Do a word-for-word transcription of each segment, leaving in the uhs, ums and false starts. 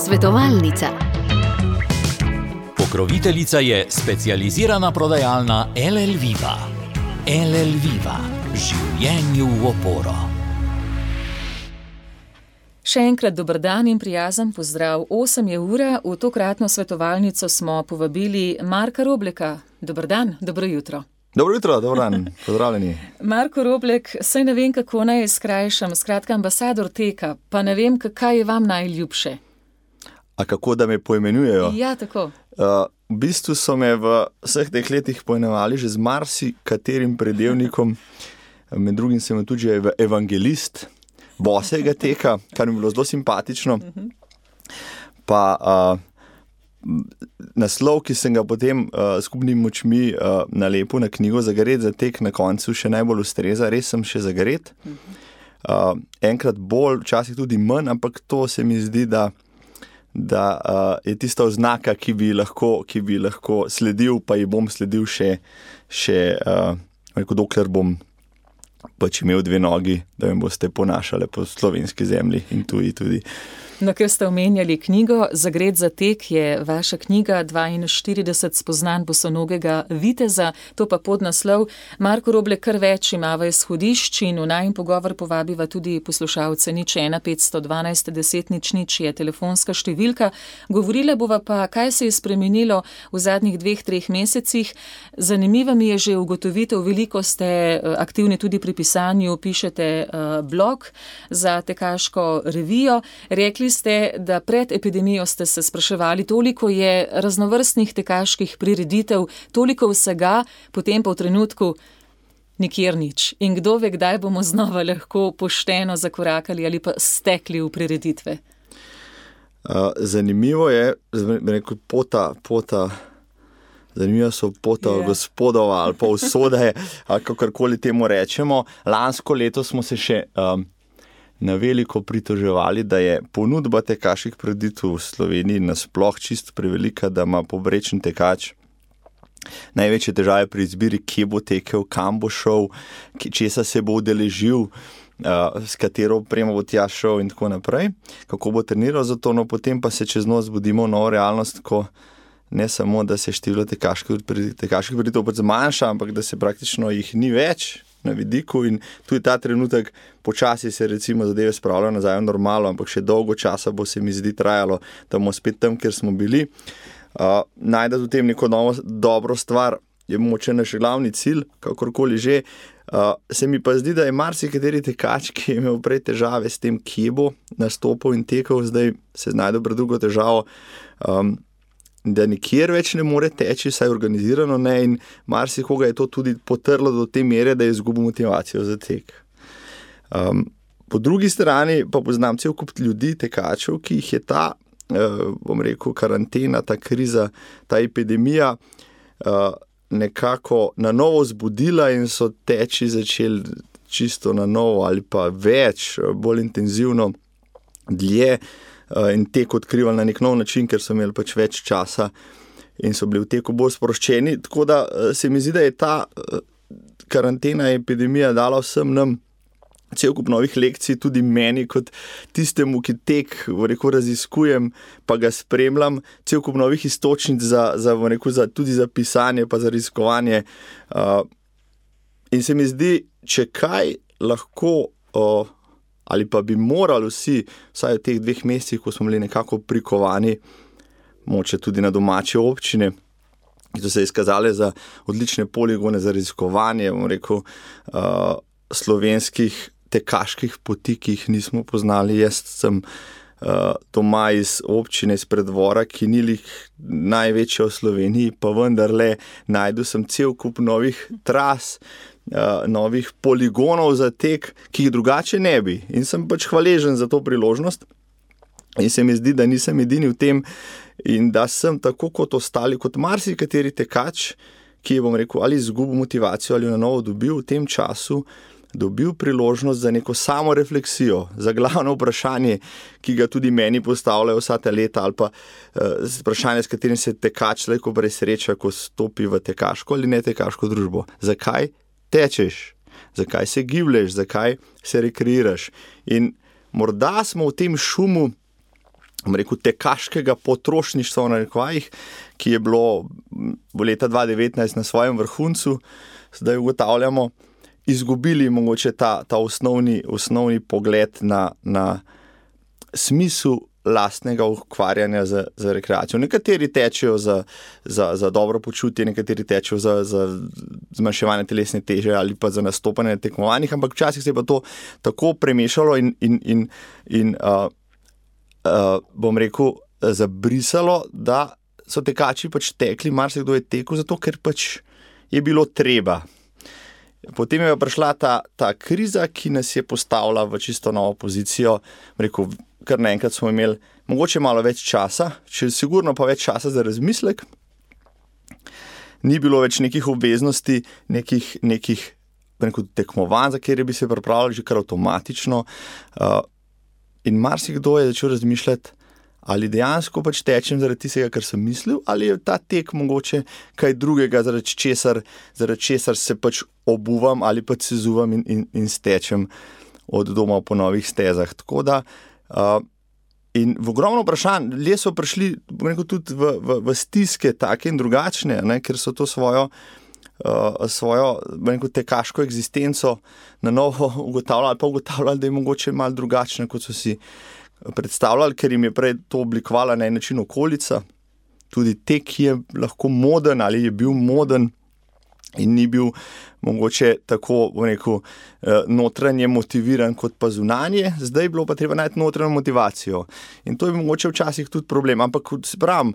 Svetovalnica. Pokroviteljica je specializirana prodajalna L L Viva. L L Viva. Življenju v oporo. Še enkrat dober dan in prijazen pozdrav. Osem je ura, v tokratno svetovalnico smo povabili Marka Robleka. Dober dan, dobro jutro. Dobro jutro, dober dan, pozdravljeni. Marko Roblek, saj ne vem, kako naj skrajšam, skratka ambasador teka, pa ne vem, kaj je vam najljubše. A kako, da me poimenujejo? Ja, tako. Uh, v bistvu so me v vseh teh letih poimenovali že z marsikaterim predelnikom, med drugim sem tudi že evangelist bosega teka, kar mi je bilo zelo simpatično. Pa uh, naslov, ki sem ga potem uh, skupnimi močmi uh, nalepil na knjigo Zagret za tek, na koncu še najbolj ustreza, res sem še zagret. Uh, enkrat bolj, včasih tudi manj, ampak to se mi zdi, da, da uh, je tista oznaka, ki bi lahko, ki bi lahko sledil, pa ji bom sledil še, še uh, rekel, dokler bom pač imel dve nogi, da me boste ponašali po slovenski zemlji in tuji tudi. No, ker ste omenjali knjigo Zagret za tek, je vaša knjiga dvainštirideset spoznanj bosonogega viteza, to pa podnaslov. Marko Roblek, kar več imava izhodišč in v najin pogovor povabiva tudi poslušalce. Nič ena petsto dvanajst deset nič nič je telefonska številka. Govorile bova pa, kaj se je spremenilo v zadnjih dveh, treh mesecih. Zanimiva mi je že ugotovitev, veliko ste aktivni tudi pri pisanju, pišete uh, blog za tekaško revijo. Rekli ste, da pred epidemijo ste se spraševali, toliko je raznovrstnih tekaških prireditev, toliko vsega, potem pa v trenutku nikjer nič. In kdo ve, kdaj bomo znova lahko pošteno zakorakali ali pa stekli v prireditve? Uh, zanimivo je, rekel, pota, pota, zanimivo so pota yeah. gospodova ali pa usode, ali kakorkoli temu rečemo. Lansko leto smo se še um, na veliko pritoževali, da je ponudba tekaških prireditev v Sloveniji nasploh čisto prevelika, da ima povprečen tekač največje težave pri izbiri, kje bo tekel, kam bo šel, česa se bo udeležil, uh, s katero opremo bo tja šel in tako naprej, kako bo treniral za to, no potem pa se čez noč zbudimo v novo realnost, ko ne samo, da se število tekaških prireditev pač zmanjša, ampak da se praktično jih ni več na vidiku in tu je ta trenutek, počasi se recimo zadeve spravljajo nazaj v normalo, ampak še dolgo časa bo se mi zdi trajalo, da bomo spet tam, kjer smo bili. Uh, najdati v tem neko novo dobro stvar je moče naš glavni cilj, kakorkoli že. Uh, se mi pa zdi, da je marsikateri tekač, ki je imel prej težave s tem, kje bo nastopil in tekel, zdaj se znajde pred drugo težavo, um, da nikjer več ne more teči, saj organizirano ne, in marsikoga je to tudi potrlo do te mere, da je izgubil motivacijo za tek. Um, po drugi strani pa poznam cel kup ljudi, tekačev, ki jih je ta, uh, bom rekel, karantena, ta kriza, ta epidemija uh, nekako na novo zbudila in so teči začeli čisto na novo ali pa več, bolj intenzivno, dlje, in tek odkrivali na nek nov način, ker so imeli pač več časa in so bili v teku bolj sproščeni. Tako da se mi zdi, da je ta karantena, epidemija dala vsem nam cel kup novih lekcij, tudi meni kot tistemu, ki tek rekel, raziskujem, pa ga spremljam, cel kup novih iztočnic za, za, rekel, za, tudi za pisanje, pa za raziskovanje. Uh, in se mi zdi, če kaj lahko uh, ali pa bi morali vsi, vsaj v teh dveh mesecih, ko smo bili nekako prikovani, moče tudi na domače občine, ki so se izkazale za odlične poligone za raziskovanje, bom rekel, uh, slovenskih tekaških poti, ki jih nismo poznali. Jaz sem uh, doma iz občine, iz Preddvora, ki ni lih največja v Sloveniji, pa vendarle najdu sem cel kup novih tras, Uh, novih poligonov za tek, ki jih drugače ne bi. In sem pač hvaležen za to priložnost. In se mi zdi, da nisem edini v tem in da sem tako kot ostali, kot marsikateri tekač, ki je, bom rekel, ali izgubil motivacijo ali na novo dobil v tem času, dobil priložnost za neko samorefleksijo, za glavno vprašanje, ki ga tudi meni postavljajo vsa ta leta, ali pa uh, vprašanje, s katerim se tekač lahko presreča, ko stopi v tekaško ali ne tekaško družbo. Zakaj tečeš, zakaj se giblješ, zakaj se rekreiraš. In morda smo v tem šumu rekel, tekaškega potrošništva v narekovajih, ki je bilo v leta dva tisoč devetnajst na svojem vrhuncu, zdaj ugotavljamo, izgubili mogoče ta, ta osnovni, osnovni pogled na, na smisel lastnega ukvarjanja z, z rekreacijo. Nekateri tečejo za, za, za dobro počutje, nekateri tečejo za, za zmanjševanje telesne teže ali pa za nastopanje na tekmovanjih, ampak včasih se je pa to tako premešalo in, in, in, in uh, uh, bom rekel, zabrisalo, da so tekači pač tekli, marsikdo je tekel, zato ker pač je bilo treba. Potem je prišla ta, ta kriza, ki nas je postavila v čisto novo pozicijo. Rekel, kar naenkrat smo imeli mogoče malo več časa, če sigurno pa več časa za razmislek. Ni bilo več nekih obveznosti, nekih, nekih rekel, tekmovanj, za kjer bi se pripravljali že kar avtomatično. Uh, in marsikdo je začel razmišljati, ali dejansko pač tečem zaradi tistega, kar sem mislil, ali je ta tek mogoče kaj drugega, zaradi česar, zaradi česar se pač obuvam ali pač se zuvam in, in, in stečem od doma po novih stezah. Tako da, uh, in v ogromno vprašanj, ljudje so prišli rekel, tudi v, v, v stiske take in drugačne, ne, ker so to svojo, uh, svojo rekel, tekaško eksistenco na novo ugotavljali ali pa ugotavljali, da je mogoče malo drugačne, kot so si predstavljali, ker jim je prej to oblikovala na en način okolica. Tudi tek je lahko moden ali je bil moden in ni bil mogoče tako, bom rekel, notranje motiviran kot pa zunanje. Zdaj je bilo pa treba najti notranjo motivacijo. In to je mogoče včasih tudi problem. Ampak, se pravim,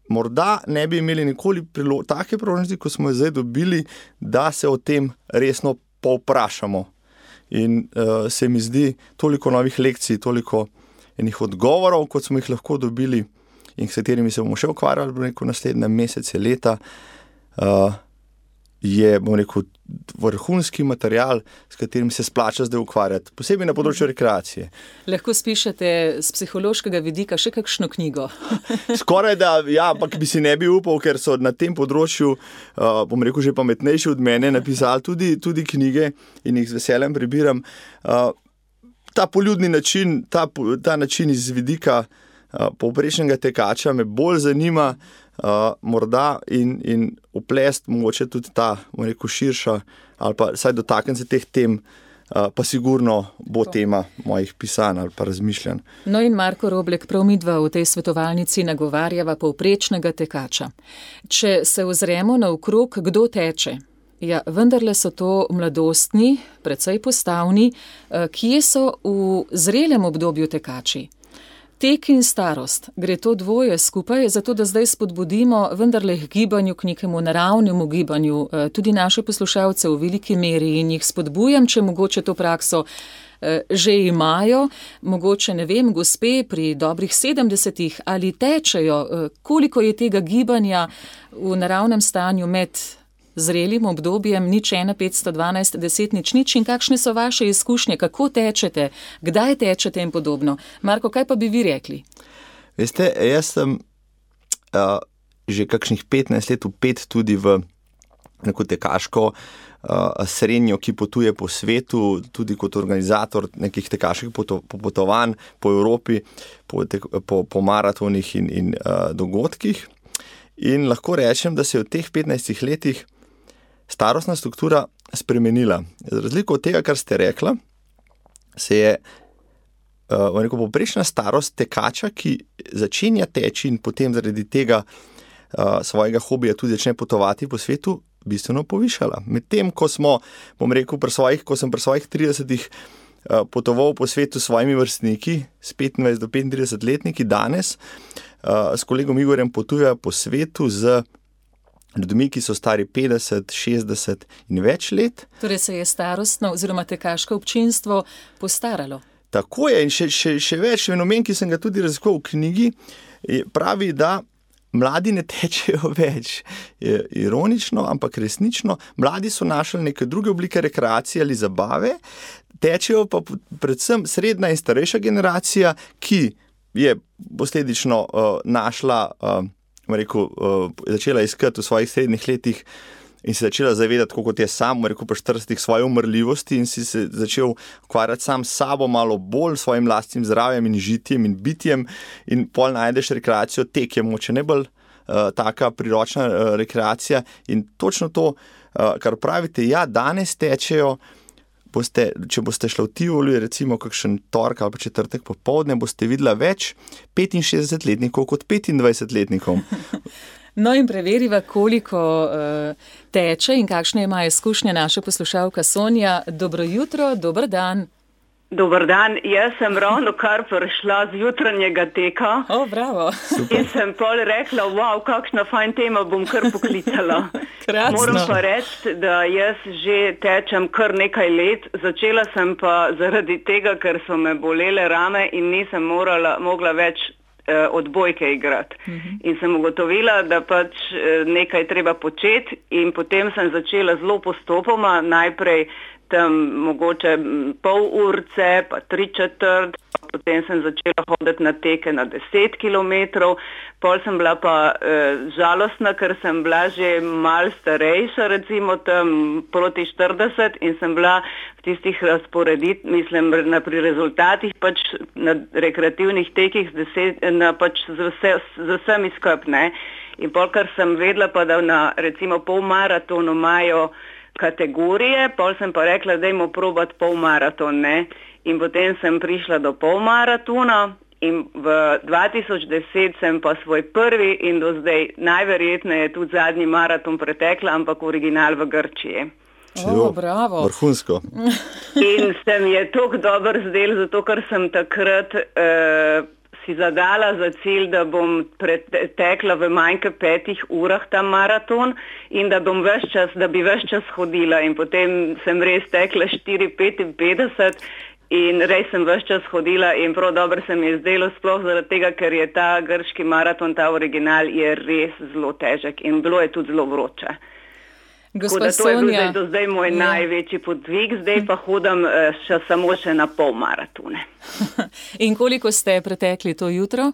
morda ne bi imeli nikoli prilo- take priložnosti, ko smo jo zdaj dobili, da se o tem resno povprašamo. In uh, se mi zdi toliko novih lekcij, toliko enih odgovorov, kot smo jih lahko dobili in s katerimi se bomo še ukvarjali, bom rekel, naslednje mesece, leta, uh, je, bom rekel, vrhunski material, s katerim se splača zdaj ukvarjati, posebej na področju rekreacije. Lahko spišete z psihološkega vidika še kakšno knjigo? Skoraj da, ja, ampak bi si ne bi upal, ker so na tem področju, uh, bom rekel, že pametnejši od mene napisali tudi, tudi knjige in jih z veseljem prebiram. Uh, Ta poljudni način, ta, ta način iz vidika uh, povprečnega tekača me bolj zanima uh, morda in, in uplest mogoče tudi ta, bom rekel, širša ali pa saj dotaknem se teh tem, uh, pa sigurno bo to tema mojih pisanj ali pa razmišljanj. No in Marko Roblek, prav midva v tej svetovalnici nagovarjava povprečnega tekača. Če se ozremo naokrog, kdo teče? Ja, vendarle so to mladostni, precej postavni, kje so v zrelem obdobju tekači. Tek in starost, gre to dvoje skupaj, zato da zdaj spodbudimo vendarle k gibanju, k nekemu naravnemu gibanju, tudi naše poslušalce v veliki meri in jih spodbujam, če mogoče to prakso že imajo, mogoče ne vem, gospe pri dobrih sedemdesetih ali tečejo, koliko je tega gibanja v naravnem stanju med zrelim obdobjem, nič ena, petsto dvanajst, deset, nič nič in kakšne so vaše izkušnje, kako tečete, kdaj tečete in podobno. Marko, kaj pa bi vi rekli? Veste, jaz sem uh, že kakšnih petnajst let vpet tudi v neko tekaško uh, srenjo, ki potuje po svetu, tudi kot organizator nekih tekaških popotovanj po Evropi, po, tek, po, po maratonih in, in uh, dogodkih. In lahko rečem, da se je v teh petnajstih letih starostna struktura spremenila. Z razliko od tega, kar ste rekla, se je uh, rekel, povprečna starost tekača, ki začenja teči in potem zaradi tega uh, svojega hobija tudi začne potovati po svetu, bistveno povišala. Medtem, ko smo, bom rekel, pri svojih, ko sem pri svojih tridesetih uh, potoval po svetu s svojimi vrstniki, s petnajst do petintrideset letniki, danes uh, s kolegom Igorjem potujejo po svetu z ljudmi, ki so stari petdeset, šestdeset in več let. Torej se je starostno oziroma tekaško občinstvo postaralo. Tako je in še, še, še več fenomen, ki sem ga tudi raziskoval v knjigi, pravi, da mladi ne tečejo več. Je ironično, ampak resnično. Mladi so našli neke druge oblike rekreacije ali zabave, tečejo pa predvsem srednja in starejša generacija, ki je posledično uh, našla uh, rekel, uh, začela iskati v svojih srednjih letih in se začela zavedati, kot je sam, rekel pa štiridesetih, svoje umrljivosti in si se začel ukvarjati sam s sabo malo bolj, svojim lastnim zdravjem in žitjem in bitjem in pol najdeš rekreacijo, tek je moče najbolj uh, taka priročna uh, rekreacija in točno to, uh, kar pravite, ja, danes tečejo, boste, če boste šli v Tivoli, recimo kakšen torek ali pa četrtek popoldne, boste videla več petinšestdesetletnikov kot petindvajsetletnikov. No in preveriva, koliko uh, teče in kakšne ima izkušnje naša poslušalka Sonja. Dobro jutro, dober dan. Dober dan, jaz sem ravno kar prišla z jutranjega teka. O, bravo. Super. In sem pol rekla, wow, kakšna fajn tema, bom kar poklicala. Krasno. Moram pa reči, da jaz že tečem kar nekaj let. Začela sem pa zaradi tega, ker so me bolele rame in nisem morala, mogla več odbojke igrati. Uh-huh. In sem ugotovila, da pač nekaj treba početi in potem sem začela zelo postopoma, najprej tam mogoče pol urce, pa tri četrt, potem sem začela hoditi na teke na deset kilometrov, pol sem bila pa e, žalostna, ker sem bila že mal starejša, recimo tam proti štirideset in sem bila v tistih razporedit, mislim, na pri rezultatih pač na rekreativnih tekih z, deset, na, pač z, vse, z vsemi skup, ne. In pol, kar sem vedela pa, da na recimo polmaratonu imajo kategorije, pol sem pa rekla, dajmo probati polmaraton, ne. In potem sem prišla do polmaratona in v dva tisoč deset sem pa svoj prvi in do zdaj najverjetneje tudi zadnji maraton pretekla, ampak original v Grčiji. O, bravo. Vrhunsko. In se mi je toliko dobro zdel, zato ker sem takrat uh, si zadala za cilj, da bom pretekla v manj kot petih urah ta maraton in da bom ves čas, da bi ves čas hodila in potem sem res tekla štiri petinpetdeset in res sem ves čas hodila in prav dobro se mi je zdelo, sploh zaradi tega, ker je ta grški maraton, ta original je res zelo težek in bilo je tudi zelo vroče. Gospa Sonja, to je bil zdaj, do zdaj moj ja. največji podvig, zdaj pa hodim še, samo še na pol maratone. In koliko ste pretekli to jutro?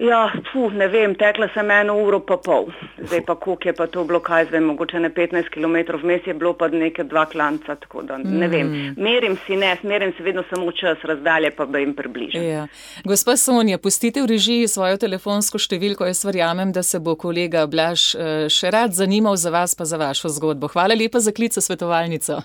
Ja, fu, ne vem, tekla sem eno uro pa pol. Zdaj pa koliko je pa to bilo, kaj zdaj, mogoče ne petnajst kilometrov, vmes je bilo pa nekaj dva klanca, tako da ne mm. vem. Merim si ne, merim si vedno samo čas razdalje, pa da jim približam. Ja. Gospa Sonja, pustite v režiji svojo telefonsko številko, jaz verjamem, da se bo kolega Blaž še rad zanimal za vas pa za vašo zgodbo. Hvala lepa za klic v svetovalnico.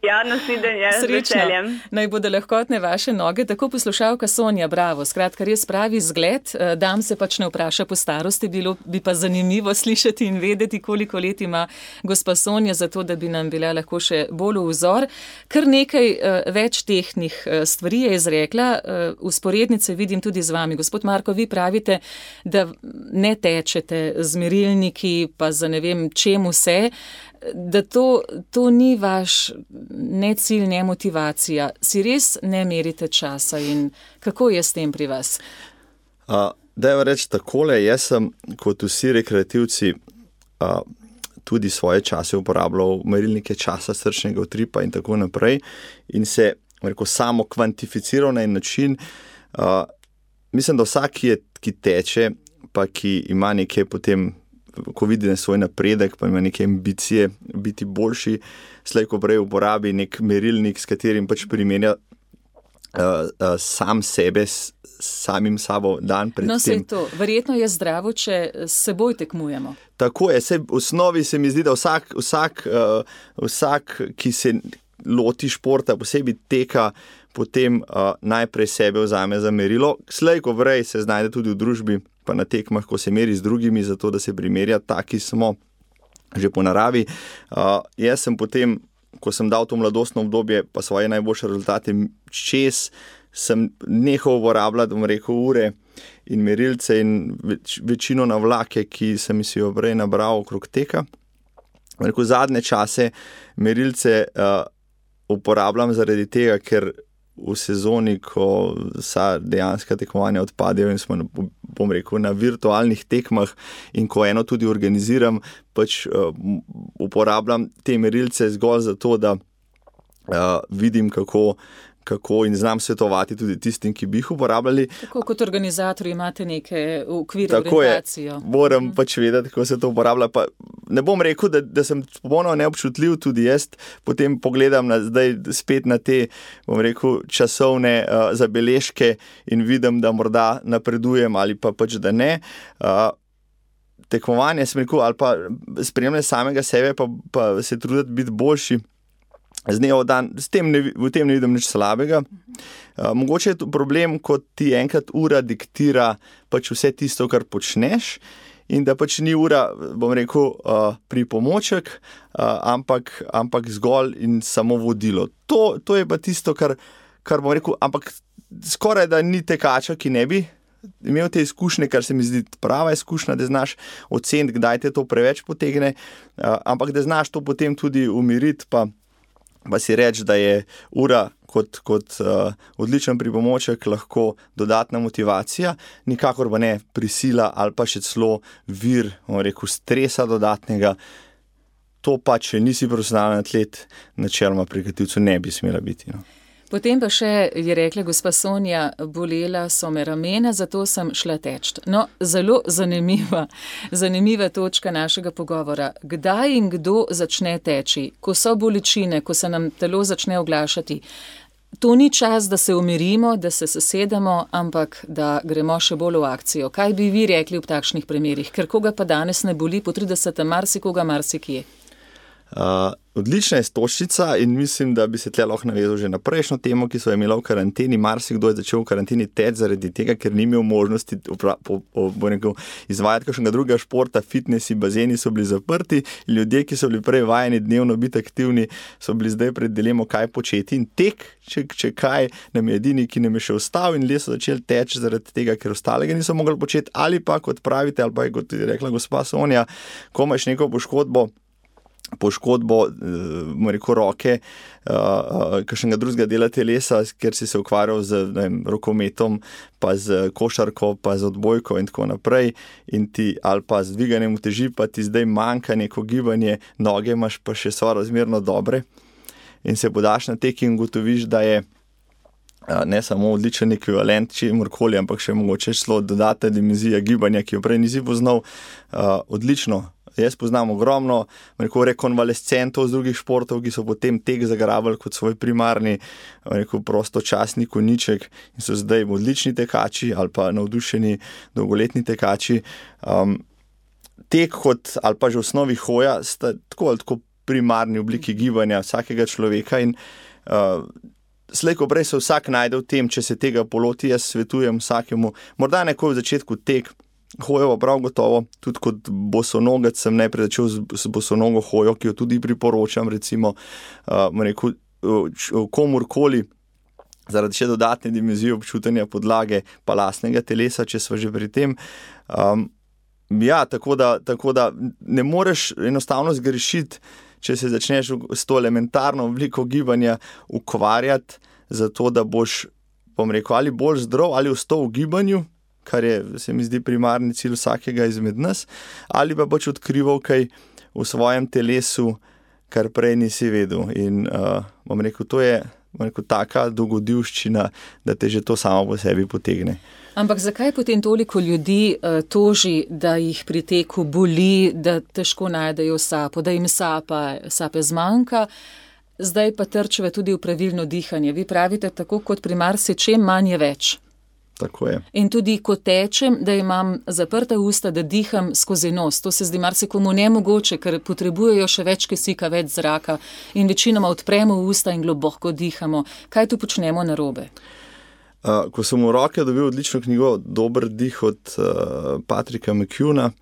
Ja, nasvidenje, z veseljem. Naj bodo lahkotne vaše noge, tako poslušalka Sonja, bravo. Skratka, res pravi zgled, dam se pač ne vpraša po starosti, bilo bi pa zanimivo slišati in vedeti, koliko let ima gospa Sonja, zato da bi nam bila lahko še bolj v vzor. Kar nekaj uh, več tehnih uh, stvari je izrekla, usporednice uh, vidim tudi z vami. Gospod Marko, vi pravite, da ne tečete z merilniki, pa za ne vem čemu vse, da to, to ni vaš ne cilj, ne motivacija. Si res ne merite časa in kako je s tem pri vas? Uh, Dajmo reči takole, jaz sem kot vsi rekreativci uh, tudi svoje čase uporabljal merilnike časa, srčnega utripa in tako naprej in se rekel, samo kvantificiral na en način. Uh, mislim, da vsak, ki, je, ki teče, pa ki ima nekaj potem ko vidi na svoj napredek, pa ima neke ambicije biti boljši, slej ko prej uporabi nek merilnik, s katerim pač primerja uh, uh, sam sebe s samim sabo dan pred tem. No, sej to. Verjetno je zdravo, če s seboj tekmujemo. Tako je. Sej v osnovi se mi zdi, da vsak, vsak, uh, vsak ki se loti športa, posebej teka, potem uh, najprej sebe vzame za merilo. Slej ko prej se znajde tudi v družbi, pa na tekmah, ko se meri z drugimi, zato da se primerja, taki smo že po naravi. Uh, jaz sem potem, ko sem dal to mladostno obdobje, pa svoje najboljše rezultate čez, sem nehal uporabljati, bom rekel, ure in merilce in več, večino navlake, ki sem si jo prej nabral okrog teka. Rekel, zadnje čase merilce uh, uporabljam zaradi tega, ker v sezoni, ko vsa dejanska tekmovanja odpadejo in smo, bom rekel, na virtualnih tekmah in ko eno tudi organiziram, pač uh, uporabljam te merilce zgolj zato, da uh, vidim, kako, kako in znam svetovati tudi tistim, ki bi jih uporabljali. Tako kot organizatorji imate neke okvire, tako orientacijo. Je, moram mm. pač vedeti, kako se to uporablja. Pa ne bom rekel, da, da sem popolnoma neobčutljiv, tudi jaz potem pogledam na, zdaj spet na te, bom rekel, časovne uh, zabeležke in vidim, da morda napredujem ali pa pač, da ne. Uh, tekmovanje, sem rekel, ali pa spremljanje samega sebe, pa, pa se truditi biti boljši z dneva v dan, s tem ne, v tem ne vidim nič slabega. Uh, mogoče je to problem, ko ti enkrat ura diktira pač vse tisto, kar počneš, in da pač ni ura, bom rekel, uh, pripomoček, uh, ampak, ampak zgolj in samo vodilo. To, to je pa tisto, kar, kar bom rekel, ampak skoraj da ni tekača, ki ne bi imel te izkušnje, kar se mi zdi prava izkušnja, da znaš oceniti, kdaj te to preveč potegne, uh, ampak da znaš to potem tudi umiriti, pa pa si reči, da je ura kot, kot uh, odličen pripomoček lahko dodatna motivacija, nikakor pa ne prisila ali pa še celo vir, bom rekel, stresa dodatnega. To pa, če nisi profesionalni atlet, načeloma pri kreativcu ne bi smela biti. No. Potem pa še je rekla gospa Sonja, bolela so me ramena, zato sem šla teč. No, zelo zanimiva, zanimiva točka našega pogovora. Kdaj in kdo začne teči? Ko so bolečine, ko se nam telo začne oglašati. To ni čas, da se umirimo, da se sesedemo, ampak da gremo še bolj v akcijo. Kaj bi vi rekli v takšnih primerih? Ker koga pa danes ne boli po tridesetem, marsikoga marsikje? Uh, odlična je stočnica in mislim, da bi se tle lahko navezal že na prejšnjo temo, ki so imela v karanteni. Marsikdo je začel v karanteni teč zaradi tega, ker ni imel možnosti upra, po, po, po nekaj, izvajati kakšnega drugega športa, fitnesi, bazeni so bili zaprti. Ljudje, ki so bili prej vajeni dnevno biti aktivni, so bili zdaj pred dilemo, kaj početi. In tek, če, če kaj, nam je edini, ki nam je še ostal, in ljudje so začeli teč zaradi tega, ker ostalega niso mogli početi, ali pa, kot pravite, ali pa je, kot je rekla gospa Sonja, ko imaš neko poškodbo, poškodbo, uh, rekel, roke, uh, uh, kakšnega drugega dela telesa, ker si se ukvarjal z ne vem, rokometom, pa z košarko, pa z odbojko in tako naprej, in ti, ali pa z dviganjem uteži, pa ti zdaj manjka neko gibanje, noge imaš pa še so razmerno dobre, in se podaš na tek in gotoviš, da je uh, ne samo odličen ekvivalent, čemurkoli, ampak še mogoče šlo dodatna dimenzija gibanja, ki jo prej nisi poznal, uh, odlično. Jaz poznam ogromno rekel, rekonvalescentov z drugih športov, ki so potem tek zagrabili kot svoj primarni rekel, prostočasni konjiček in so zdaj odlični tekači ali pa navdušeni dolgoletni tekači. Um, tek kot ali pa že v osnovi hoja sta tako ali tako primarni obliki gibanja vsakega človeka in uh, slej ko prej se vsak najde v tem, če se tega poloti, jaz svetujem vsakemu, morda nekoj v začetku tek, hojo prav gotovo, tudi kot bosonogec sem najprej začel z bosonogo hojo, ki jo tudi priporočam, recimo, uh, rekel, komurkoli, zaradi še dodatne dimenzije občutenja podlage pa lastnega telesa, če sva že pri tem. Um, ja, tako da, tako da ne moreš enostavno zgrešiti, če se začneš s to elementarno obliko gibanja ukvarjati, zato da boš, bom rekel, ali bolj zdrav, ali ostal v gibanju, kar je, se mi zdi, primarni cilj vsakega izmed nas, ali pa boš odkrival kaj v svojem telesu, kar prej nisi vedel. In uh, bom rekel, to je bom rekel, taka dogodivščina, da te že to samo po sebi potegne. Ampak zakaj potem toliko ljudi uh, toži, da jih pri teku boli, da težko najdejo sapo, da jim sapa, sape zmanjka, zdaj pa trčeve tudi v pravilno dihanje. Vi pravite, tako kot pri marsičem, manj je več. Tako je. In tudi, ko tečem, da imam zaprta usta, da diham skozi nos. To se zdi marsikomu nemogoče, ker potrebujejo še več kisika, več zraka in večinoma odpremo usta in globoko dihamo. Kaj tu počnemo narobe? Uh, ko sem v roke dobil odlično knjigo Dober dih od uh, Patricka McKeona,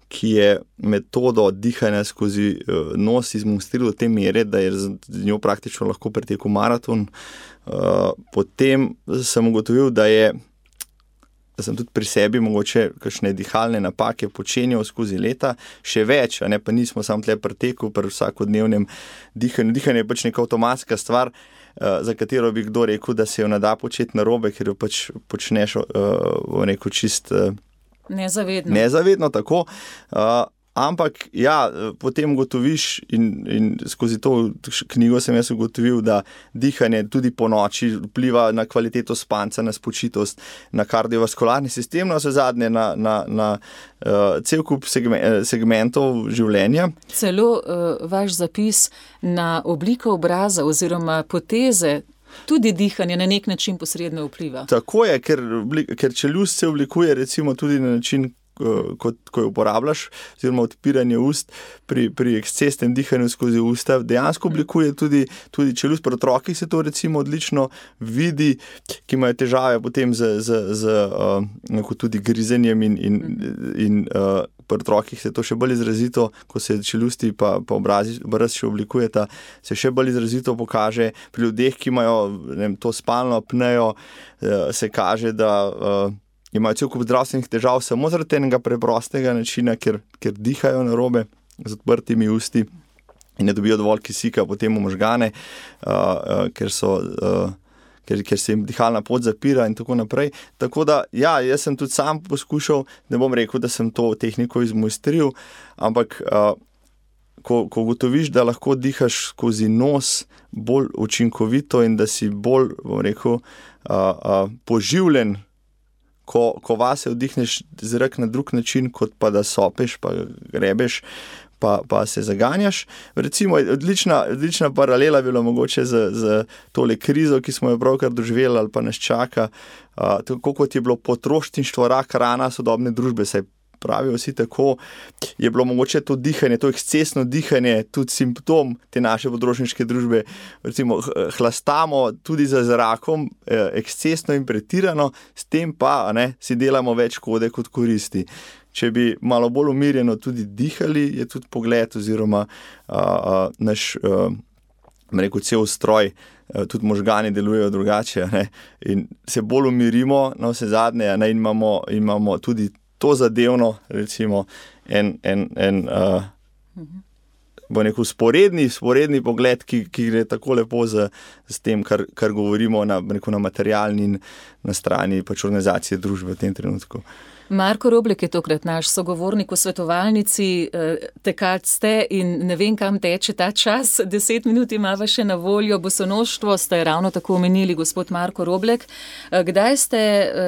ki je metodo dihanja skozi uh, nos izmonstriral do te mere, da je z njo praktično lahko pretekel maraton. Uh, potem sem ugotovil, da je da sem tudi pri sebi mogoče kakšne dihalne napake počenjal skozi leta, še več, a ne pa nismo samo tle preteku pri vsakodnevnem dihanju. Dihanje je pač neka avtomatska stvar, uh, za katero bi kdo rekel, da se jo ne da početi narobe, ker jo pač počneš uh, v neko čist uh, nezavedno. Nezavedno, tako. Uh, Ampak, ja, potem ugotoviš in, in skozi to knjigo sem jaz ugotovil, da dihanje tudi po noči vpliva na kvaliteto spanca, na spočitost, na kardiovaskularni sistem, na vse zadnje, na, na, na uh, cel kup segme, segmentov življenja. Celo uh, vaš zapis na obliko obraza oziroma poteze, tudi dihanje na nek način posredno vpliva. Tako je, ker, ker čeljust se oblikuje recimo tudi na način, Kot, ko jo uporabljaš, oziroma odpiranje ust pri, pri ekscesnem dihanju skozi usta, dejansko oblikuje tudi, tudi čeljust. Pri otrokih se to recimo odlično vidi, ki imajo težave potem z, z, z uh, tudi grizenjem in, in, in uh, pri otrokih se to še bolj izrazito, ko se čeljusti pa, pa obrazi, obraz še oblikujeta, se še bolj izrazito pokaže. Pri ljudeh, ki imajo ne vem, to spalno apnejo, uh, se kaže, da uh, imajo cel kup zdravstvenih težav samo zaradi enega preprostega načina, ker, ker dihajo narobe z odprtimi usti in ne dobijo dovolj kisika potem v možgane, uh, uh, ker, so, uh, ker, ker se jim dihalna pot zapira in tako naprej. Tako da, ja, jaz sem tudi sam poskušal, ne bom rekel, da sem to tehniko izmojstril, ampak uh, ko, ko ugotoviš, da lahko dihaš skozi nos bolj učinkovito in da si bolj, bom rekel, uh, uh, poživljen, Ko, ko vase vdihneš zrak na drug način, kot pa da sopeš, pa grebeš, pa, pa se zaganjaš. Recimo, odlična, odlična paralela bila mogoče z, z tole krizo, ki smo jo pravkar doživeli ali pa nas čaka, uh, tako kot je bilo potrošništvo rak rana sodobne družbe, saj pravijo vsi tako, je bilo mogoče to dihanje, to ekscesno dihanje, tudi simptom te naše potrošniške družbe. Recimo, hlastamo tudi za zrakom eh, ekscesno in pretirano, s tem pa ne, si delamo več škode kot koristi. Če bi malo bolj umirjeno tudi dihali, je tudi pogled oziroma a, a, naš, a, rekel, cel stroj, a, tudi možgani delujejo drugače, ne, in se bolj umirimo na vse zadnje, ne, in imamo, imamo tudi to zadevno, recimo, en, en, en uh, bo rekel, sporedni, sporedni pogled, ki, ki gre tako lepo z, z tem, kar, kar govorimo na, rekel, na materialni in na strani pač organizacije družbe v tem trenutku. Marko Roblek je tokrat naš sogovornik v svetovalnici, tekač ste in ne vem, kam teče ta čas, deset minut imava še na voljo, bosonoštvo ste ravno tako omenili, gospod Marko Roblek. Kdaj ste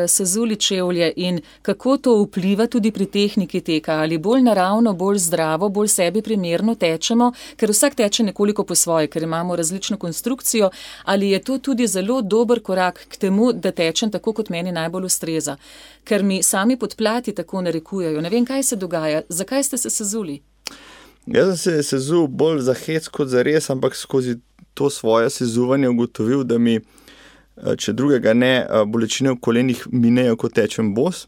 sezuli čevlje in kako to vpliva tudi pri tehniki teka? Ali bolj naravno, bolj zdravo, bolj sebi primerno tečemo, ker vsak teče nekoliko po svoje, ker imamo različno konstrukcijo, ali je to tudi zelo dober korak k temu, da tečem tako, kot meni najbolj ustreza? Ker mi sami podplati tako narekujejo. Ne vem, kaj se dogaja. Zakaj ste se sezuli? Jaz sem se sezul bolj za hec kot za res, ampak skozi to svoje sezuvanje ugotovil, da mi, če drugega ne, bolečine v kolenih minejo, ko tečem bos.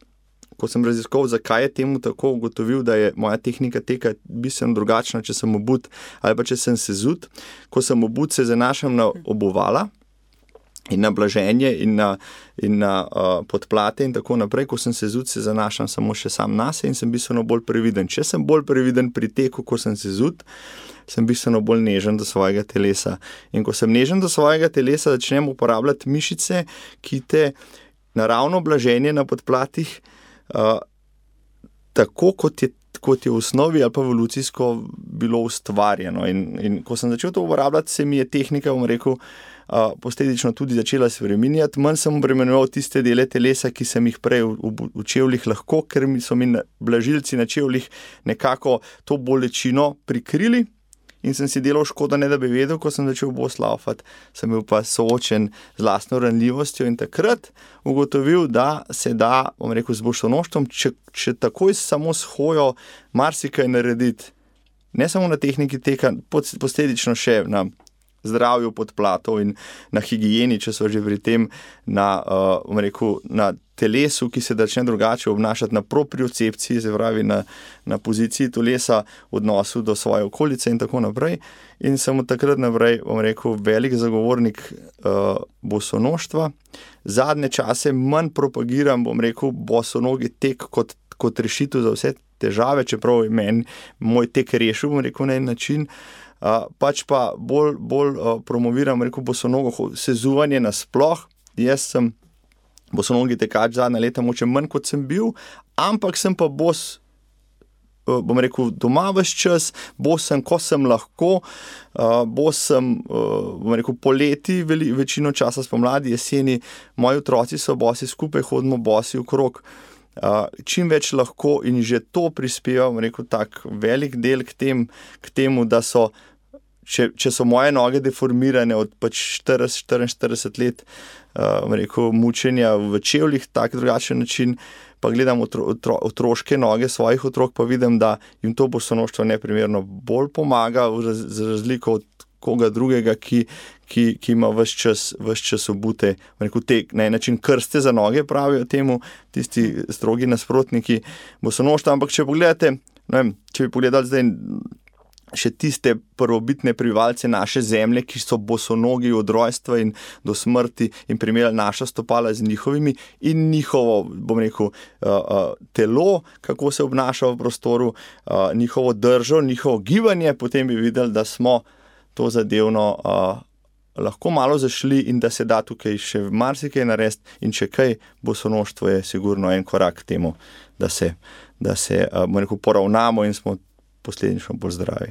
Ko sem raziskoval, zakaj je temu tako, ugotovil, da je moja tehnika teka bistveno drugačna, če sem obut ali pa če sem sezut. Ko sem obut, se zanašam na obuvala in na blaženje in na, in na uh, podplate in tako naprej. Ko sem sezut, se zanašam samo še sam nase in sem bistveno bolj previden. Če sem bolj previden pri teku, ko sem sezut, sem bistveno bolj nežen do svojega telesa. In ko sem nežen do svojega telesa, začnem uporabljati mišice, ki te naravno blaženje na podplatih uh, tako, kot je kot je v osnovi ali pa evolucijsko bilo ustvarjeno. In, in ko sem začel to uporabljati, se mi je tehnika, bom rekel, uh, posledično tudi začela spreminjati. Manj sem obremenjeval tiste dele telesa, ki sem jih prej v, v, v čevljih lahko, ker mi so mi blažilci na čevljih nekako to bolečino prikrili. In sem si delal škodo, ne da bi vedel, ko sem začel bos laufati, sem bil pa soočen z lastno ranljivostjo in takrat ugotovil, da se da, bom rekel, z bosonoštvom, če, če takoj samo s hojo marsikaj narediti, ne samo na tehniki teka, posledično še na zdravju podplatov in na higieni, če so že pri tem, na, uh, bom rekel, na telesu, ki se začne drugače obnašati, na propriocepciji, se pravi na, na poziciji telesa v odnosu do svoje okolice in tako naprej. In sem od takrat naprej, bom rekel, velik zagovornik uh, bosonoštva. Zadnje čase manj propagiram, bom rekel, bosonogi tek kot, kot rešitev za vse težave, čeprav je meni moj tek rešil, bom rekel, na en način. Uh, pač pa bolj, bolj uh, promoviram, rekel, bosonogo sezuvanje nasploh. Jaz sem bosonogi tekač zadnja leta, moče manj kot sem bil, ampak sem pa bos bom rekel, doma ves čas, bos sem, ko sem lahko, bos sem, bom rekel, poleti, veli, večino časa spomladi, jeseni, moji otroci so bosi, skupaj hodimo bosi okrog. Čim več lahko in že to prispeva, bom rekel, tak velik del k, tem, k temu, da so, če, če so moje noge deformirane od pač štirideset štiriinštirideset let, bom rekel, mučenja v čevljih, tak drugačen način, pa gledam otro, otro, otroške noge svojih otrok, pa vidim, da jim to bosonoštvo neprimerno bolj pomaga, raz, za razliko od koga drugega, ki, ki, ki ima ves čas, ves čas obute, rekel, te, na en način krste za noge, pravijo temu tisti strogi nasprotniki bosonoštva. Ampak če pogledate, ne vem, če bi pogledali zdaj še tiste prvobitne prebivalce naše zemlje, ki so bosonogi od rojstva in do smrti in primerjali naša stopala z njihovimi in njihovo, bom rekel, telo, kako se obnaša v prostoru, njihovo držo, njihovo gibanje, potem bi videli, da smo to zadevno lahko malo zašli in da se da tukaj še marsikaj narediti in če kaj, bosonoštvo je sigurno en korak k temu, da se, da se bom rekel, poravnamo in smo posledično bolj zdravi.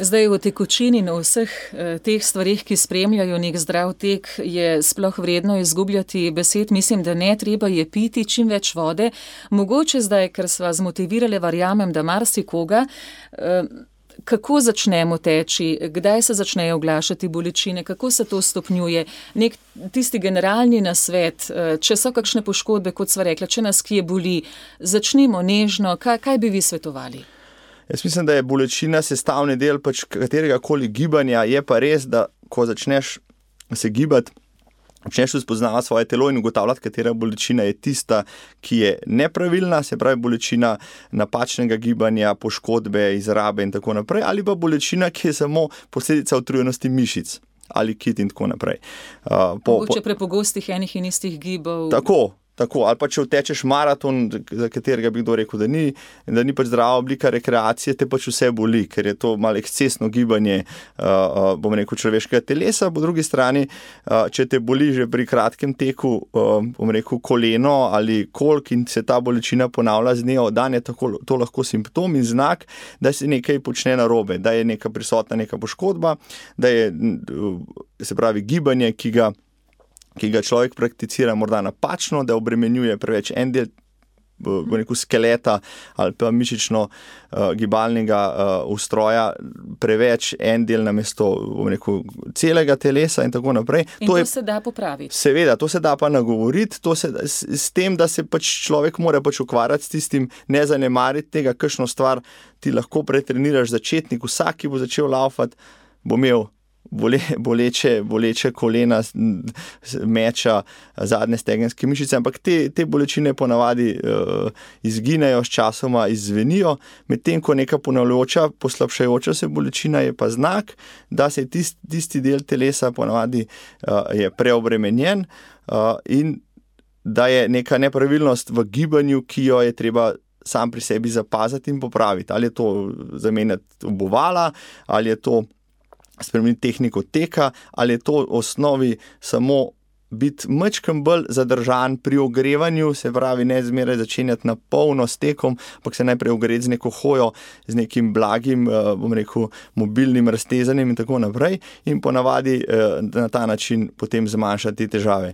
Zdaj v tekočini in vseh eh, teh stvarih, ki spremljajo nek zdrav tek, je sploh vredno izgubljati besed. Mislim, da ne, treba je piti čim več vode. Mogoče zdaj, ker sva zmotivirali, verjamem, da marsikoga, eh, kako začnemo teči, kdaj se začnejo oglašati bolečine, kako se to stopnjuje, nek tisti generalni nasvet, eh, če so kakšne poškodbe, kot sva rekla, če nas kje boli, začnimo nežno, kaj, kaj bi vi svetovali? Jaz mislim, da je bolečina sestavni del pač katerega koli gibanja, je pa res, da ko začneš se gibati, začneš spoznavati svoje telo in ugotavljati, katera bolečina je tista, ki je nepravilna, se pravi bolečina napačnega gibanja, poškodbe, izrabe in tako naprej, ali pa bolečina, ki je samo posledica utrujenosti mišic ali kit in tako naprej. Uh, po, Mogoče prepogostih enih in istih gibov. Tako. Tako, ali pa če vtečeš maraton, za katerega bi kdo rekel, da ni, da ni pač zdrava oblika rekreacije, te pač vse boli, ker je to malo ekscesno gibanje, uh, uh, bom rekel, človeškega telesa. Po drugi strani, uh, če te boli že pri kratkem teku, uh, bom rekel, koleno ali kolk in se ta bolečina ponavlja z dneva v dan, je tako, to lahko simptom in znak, da se nekaj počne narobe, da je neka prisotna neka poškodba, da je, se pravi, gibanje, ki ga ki ga človek prakticira morda napačno, da obremenjuje preveč en del rekel, skeleta ali pa mišično uh, gibalnega uh, ustroja, preveč en del namesto rekel, celega telesa in tako naprej. In to, to je, se da popraviti. Seveda, to se da pa nagovoriti, to se, s, s tem, da se pač človek mora pač ukvarjati s tistim, ne zanemariti tega, kakšno stvar ti lahko pretreniraš začetnik, vsak, ki bo začel laufati, bo imel Bole, boleče, boleče kolena, meča, zadnje stegenske mišice, ampak te, te bolečine ponavadi uh, izginejo, s časoma izzvenijo, medtem ko neka ponavljajoča, poslabšajoča se bolečina je pa znak, da se tist, tisti del telesa ponavadi uh, je preobremenjen uh, in da je neka nepravilnost v gibanju, ki jo je treba sam pri sebi zapaziti in popraviti. Ali je to zamenjati obuvala, ali je to spremeniti tehniko teka, ali je to v osnovi samo biti majčkeno bolj zadržan pri ogrevanju, se pravi ne zmeraj začenjati na polno s tekom, ampak se najprej ogreti z neko hojo, z nekim blagim, bom rekel, mobilnim raztezanjem in tako naprej in ponavadi na ta način potem zmanjšati težave.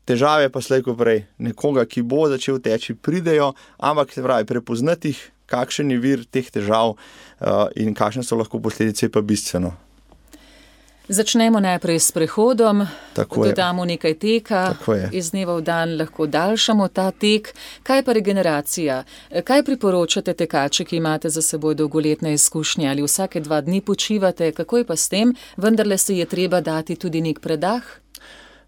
Težave pa slej ko prej nekoga, ki bo začel teči, pridejo, ampak se pravi prepoznati jih, kakšen je vir teh težav uh, in kakšne so lahko posledice, pa bistveno. Začnemo najprej s prehodom, dodamo nekaj teka, iz dneva v dan lahko daljšamo ta tek. Kaj pa regeneracija? Kaj priporočate tekače, ki imate za seboj dolgoletne izkušnje? Ali vsake dva dni počivate? Kako je pa s tem? Vendarle se je treba dati tudi nek predah?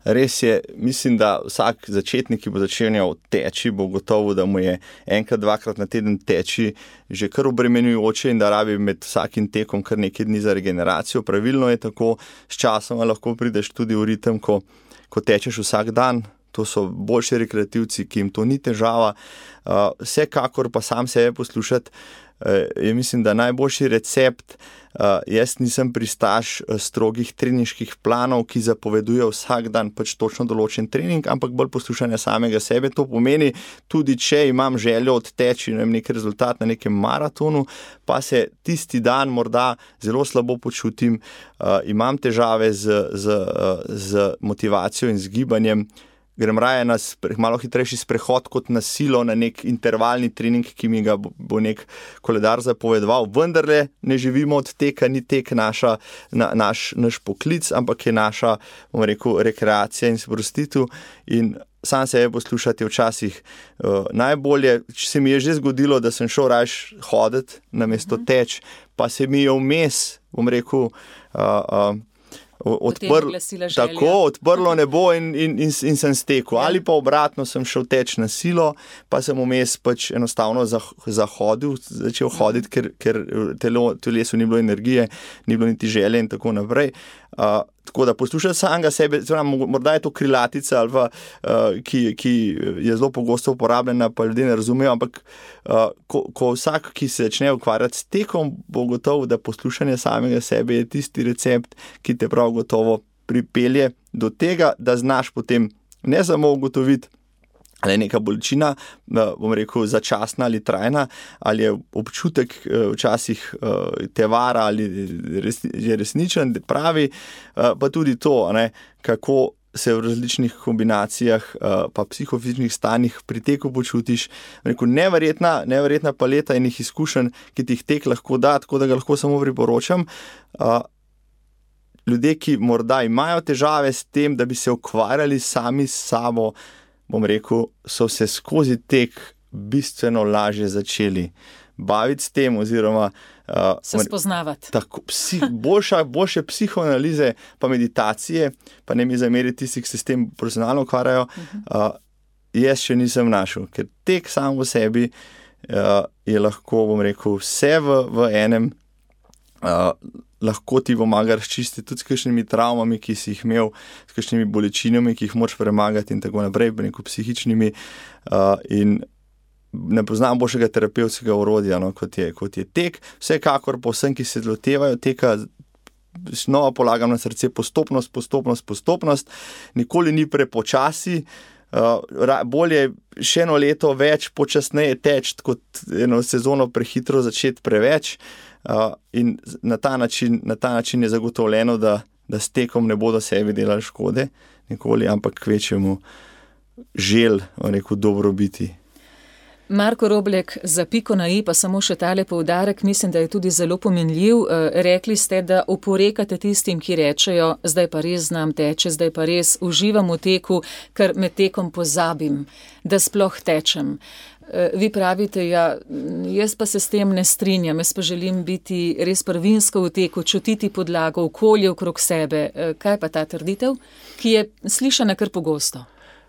Res je, mislim, da vsak začetnik, ki bo začenjal teči, bo gotovo, da mu je enkrat, dvakrat na teden teči že kar obremenjujoče in da rabi med vsakim tekom kar nekaj dni za regeneracijo. Pravilno je tako, s časoma lahko prideš tudi v ritem, ko, ko tečeš vsak dan, To so boljši rekreativci, ki jim to ni težava. Uh, vsekakor pa sam sebe poslušati, uh, je mislim, da najboljši recept. Uh, jaz nisem pristaš uh, strogih treninških planov, ki zapovedujejo vsak dan pač točno določen trening, ampak bolj poslušanje samega sebe. To pomeni, tudi če imam željo odteči nek rezultat na nekem maratonu, pa se tisti dan morda zelo slabo počutim, uh, imam težave z, z, uh, z motivacijo in z gibanjem, grem raje na malo hitrejši sprehod kot na silo, na nek intervalni trening, ki mi ga bo nek koledar zapovedoval. Vendarle ne živimo od teka, ni tek naša, na, naš, naš poklic, ampak je naša, bom rekel, rekreacija in sprostitev. In sam sebe poslušati včasih uh, najbolje. Se mi je že zgodilo, da sem šel raje hoditi namesto teč, pa se mi je vmes, bom rekel, uh, uh, Odprl, tako, odprlo nebo in, in, in, in sem stekel. Ali pa obratno, sem šel teč na silo, pa sem vmes pač enostavno zahodil, začel hoditi, ker, ker telo, telesu ni bilo energije, ni bilo niti želje in tako naprej. Uh, tako da poslušati samega sebe, morda je to krilatica, ali pa, uh, ki, ki je zelo pogosto uporabljena, pa ljudje ne razumejo, ampak uh, ko, ko vsak, ki se začne ukvarjati s tekom, bo gotovo, da poslušanje samega sebe je tisti recept, ki te prav gotovo pripelje do tega, da znaš potem ne samo ugotoviti, ali je neka bolečina, bom rekel, začasna ali trajna, ali je občutek včasih te vara ali je resničen, pravi, pa tudi to, ne, kako se v različnih kombinacijah pa psihofizičnih stanjih pri teku počutiš. Rekel, neverjetna, neverjetna paleta enih izkušenj, ki ti jih tek lahko da, tako da ga lahko samo priporočam. Ljudje, ki morda imajo težave s tem, da bi se ukvarjali sami s sabo, bom rekel, so se skozi tek bistveno lažje začeli baviti s tem oziroma uh, se spoznavati. Tako, psi, boljša, boljše psihoanalize pa meditacije, pa ne mi zameriti tisti, ki se s tem profesionalno ukvarjajo, uh, jaz še nisem našel, ker tek sam v sebi uh, je lahko, bom rekel, vse v, v enem. Uh, lahko ti pomaga razčistiti tudi s kakšnimi travmami, ki si jih imel, s kakšnimi bolečinami, ki jih moraš premagati in tako naprej, neko psihičnimi. Uh, in ne poznam boljšega terapevtskega orodja, no, kot je, kot je tek. Vsekakor pa vsem, ki se lotevajo teka, znova polagam na srce postopnost, postopnost, postopnost. Nikoli ni prepočasi. Uh, bolje še eno leto več počasneje teč, kot eno sezono prehitro začeti preveč. Uh, in na ta način, na ta način je zagotovljeno, da, da s tekom ne bodo sebi delali škode nikoli, ampak kvečemu žel, rekel, dobro biti. Marko Roblek, za piko na i pa samo še tale poudarek, mislim, da je tudi zelo pomenljiv. Rekli ste, da oporekate tistim, ki rečejo, zdaj pa res znam teče, zdaj pa res uživam v teku, ker med tekom pozabim, da sploh tečem. Vi pravite, ja, jaz pa se s tem ne strinjam, jaz pa želim biti res prvinsko v teku, čutiti podlago, okolje okrog sebe. Kaj pa ta trditev, ki je slišana kar pogosto?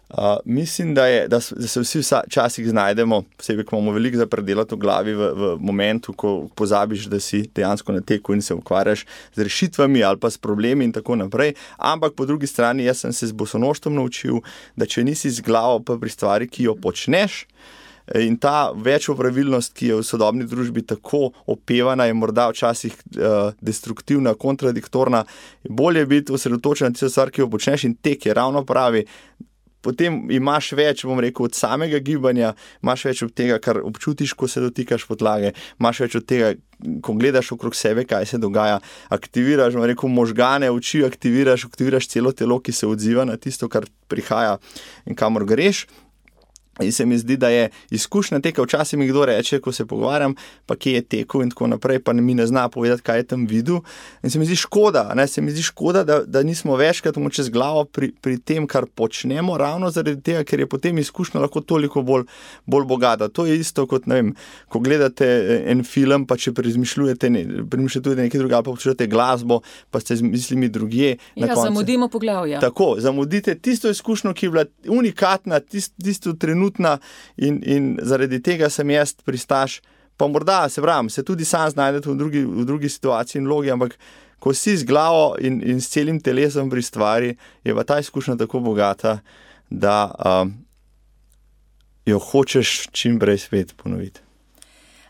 Uh, mislim, da, je, da, da se vsi včasih znajdemo, posebej, ko imamo veliko za predelati v glavi v, v momentu, ko pozabiš, da si dejansko na teku in se ukvarjaš z rešitvami ali pa s problemi in tako naprej. Ampak po drugi strani, jaz sem se z bosonoštvom naučil, da če nisi z glavo pa pri stvari, ki jo počneš, in ta večopravilnost, ki je v sodobni družbi tako opevana, je morda včasih uh, destruktivna, kontradiktorna. Bolje je biti osredotočen na tisto stvar, ki jo počneš, in tek je ravno pravi. Potem imaš več, bom rekel, od samega gibanja, imaš več od tega, kar občutiš, ko se dotikaš podlage, imaš več od tega, ko gledaš okrog sebe, kaj se dogaja, aktiviraš, bom rekel, možgane, oči aktiviraš, aktiviraš celo telo, ki se odziva na tisto, kar prihaja in kamor greš. In se mi zdi, da je izkušnja teka, včasih mi kdo reče, ko se pogovarjam, pa kje je tekel in tako naprej, pa mi ne zna povedati, kaj je tam videl. In se mi zdi škoda, ne? se mi zdi škoda, da, da nismo večkrat čez glavo pri, pri tem, kar počnemo, ravno zaradi tega, ker je potem izkušnja lahko toliko bolj, bolj bogata. To je isto kot, ne vem, ko gledate en film, pa če prezmišljujete, ne, premišljujete nekaj drugega, pa počujete glasbo, pa ste z mislimi drugje. Ja, zamudimo poglavja. Tako, zamudite tisto izkušnjo, ki je bila unikatna, tist, tisto trenutno, In, in zaradi tega sem jaz pristaš, pa morda se pravim, se tudi sam znajdete v drugi, v drugi situaciji in logi, ampak ko si z glavo in, in s celim telesom pri stvari, je pa ta izkušnja tako bogata, da um, jo hočeš čim prej spet ponoviti.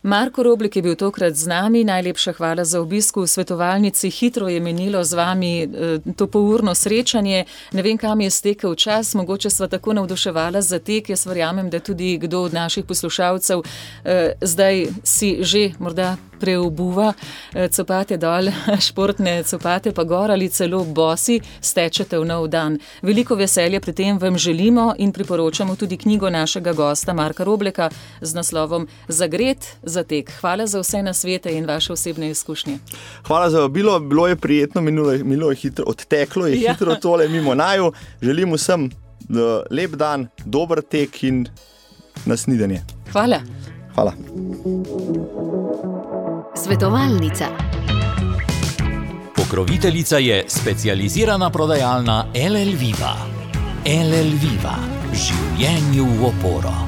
Marko Roblik je bil tokrat z nami, najlepša hvala za obisk v svetovalnici. Hitro je menilo z vami to polurno srečanje. Ne vem, kam je stekel čas, mogoče sva tako navduševala za tek. Jaz verjamem, da tudi kdo od naših poslušalcev eh, zdaj si že morda preobuva copate dol, športne copate pa gor ali celo bosi stečete v nov dan. Veliko veselja pri tem vam želimo in priporočamo tudi knjigo našega gosta Marka Robleka z naslovom Zagret za tek. Hvala za vse nasvete in vaše osebne izkušnje. Hvala za vabilo, bilo je prijetno, minulo, minulo je hitro, odteklo je ja. hitro tole mimo naju. Želim vsem lep dan, dober tek in nasnidanje. Hvala. Hvala. Svetovalnica. Pokroviteljica je specializirana prodajalna L L Viva. L L Viva. Življenju v oporo.